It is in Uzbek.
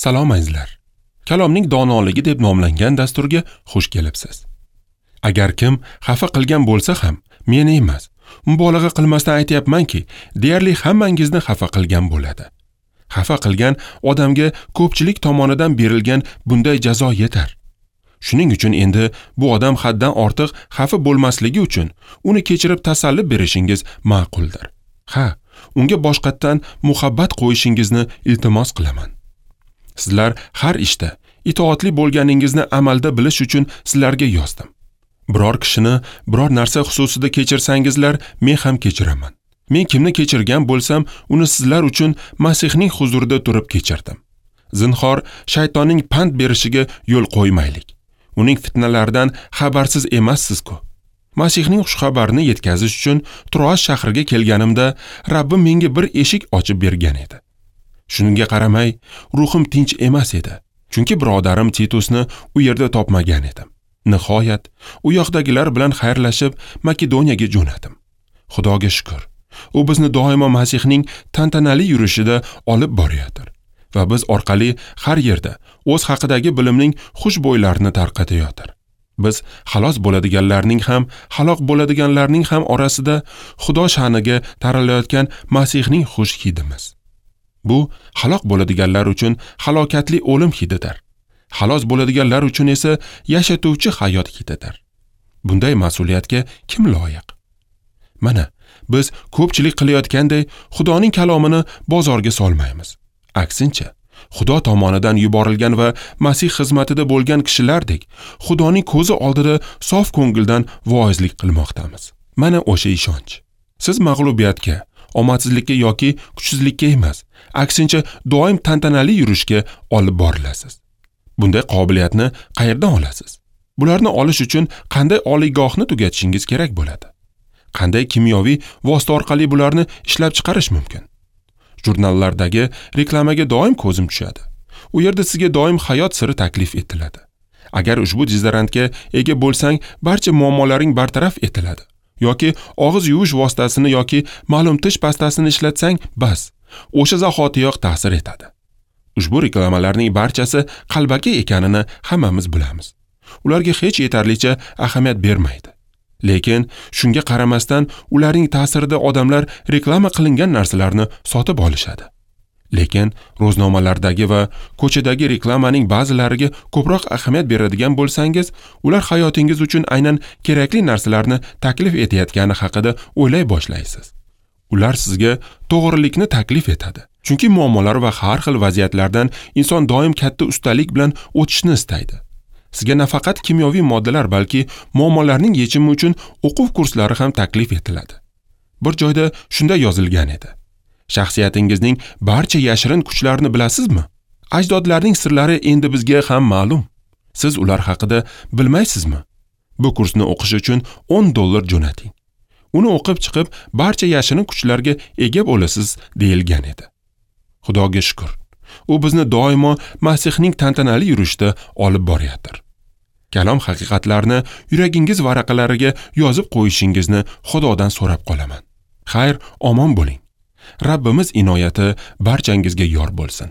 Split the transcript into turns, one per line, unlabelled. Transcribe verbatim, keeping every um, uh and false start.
Salom azizlar. Kalomning donoligi deb nomlangan dasturga xush kelibsiz. Agar kim xafa qilgan bo'lsa ham, meni emas, mubolag'a qilmasdan aytayapmanki, deyarli hammangizni xafa qilgan bo'ladi. Xafa qilgan odamga ko'pchilik tomonidan berilgan bunday jazo yetar. Shuning uchun endi bu odam haddan ortiq xafa bo'lmasligi uchun uni kechirib tasalli berishingiz ma'quldir. Ha, unga boshqatdan muhabbat qo'yishingizni iltimos qilaman. Sizlar har ishda itoatli bo'lganingizni amalda bilish uchun sizlarga yozdim. Biror kishini biror narsa xususida kechirsangizlar, men ham kechiraman. Men kimni kechirgan bo'lsam, uni sizlar uchun Masihning huzurida turib kechirdim. Zinhor shaytonning pand berishiga yo'l qo'ymaylik. Uning fitnalaridan xabarsiz emassiz-ku. Masihning xushxabarini yetkazish uchun Troas shahriga kelganimda Rabbim menga bir eshik ochib bergan edi. Shunga qaramay, ruhim tinch emas edi. Chunki birodarim Titusni u yerda topmagan edim. Nihoyat, u yoqdagilar bilan xayrlashib, Makedoniyaga jo'nadim. Xudoga shukr, u bizni doimo Masihning tantanali yurishida olib borayotir va biz orqali har yerda o'z haqidagi bilimning xushbo'ylarini tarqatayotir. Biz xalos bo'ladiganlarning ham, halok bo'ladiganlarning ham orasida Xudo sha'niga taralayotgan Masihning xush hidimiz. Bu halok bo'ladiganlar uchun halokatli o'lim hididir. Xalos bo'ladiganlar uchun esa yashatuvchi hayot hididir. Bunday mas'uliyatga kim loyiq? Mana biz ko'pchilik qilayotganday Xudoning kalomini bozorga solmaymiz. Aksincha, Xudo tomonidan yuborilgan va Masih xizmatida bo'lgan kishilardek Xudoning ko'zi oldida sof ko'ngildan voizlik qilmoqdamiz. Mana o'sha ishonch. Siz mag'lubiyatga, omadsizlikka yoki kuchsizlikka emas, aksincha doim tantanali yurishga olib borilasiz. Bunday qobiliyatni qayerdan olasiz? Bularni olish uchun qanday oliygohni tugatishingiz kerak bo'ladi? Qanday kimyoviy vosita orqali bularni ishlab chiqarish mumkin? Jurnallardagi reklamaga doim ko'zim tushadi. U yerda sizga doim hayot siri taklif etiladi. Agar ushbu dezodorantga ega bo'lsang, barcha muammolaring bartaraf etiladi. Yoki og'iz yuvish vositasini yoki ma'lum tish pastasini ishlatsang, bas, o'sha zahotiyoq ta'sir etadi. Ushbu reklamalarning barchasi qalbaki ekanini hammamiz bilamiz. Ularga hech yetarlicha ahamiyat bermaydi. Lekin shunga qaramasdan ularning ta'sirida odamlar reklama qilingan narsalarni sotib olishadi. Lekin ro'znomalardagi va ko'chadagi reklamaning ba'zilariga ko'proq ahamiyat beradigan bo'lsangiz, ular hayotingiz uchun aynan kerakli narsalarni taklif etayotgani haqida o'ylay boshlaysiz. Ular sizga to'g'rilikni taklif etadi. Chunki muammolar va har xil vaziyatlardan inson doim katta ustalik bilan o'tishni istaydi. Sizga nafaqat kimyoviy moddalar, balki muammolarning yechimi uchun o'quv kurslari ham taklif etiladi. Bir joyda shunday yozilgan edi. Shaxsiyatingizning barcha yashirin kuchlarini bilasizmi? Ajdodlarning sirlari endi bizga ham ma'lum. Siz ular haqida bilmaysizmi? Bu kursni o'qish uchun o'n dollar jo'nating. Uni o'qib chiqib, barcha yashirin kuchlarga ega bo'lasiz deyilgan edi. Xudoga shukr, u bizni doimo Masihning tantanali yurishida olib borayotir. Kalom haqiqatlarini yuragingiz varaqalariga yozib qo'yishingizni Xudodan so'rab qolaman. Xayr, omon bo'ling. Rabbimiz inoyati barchangizga yor bo'lsin.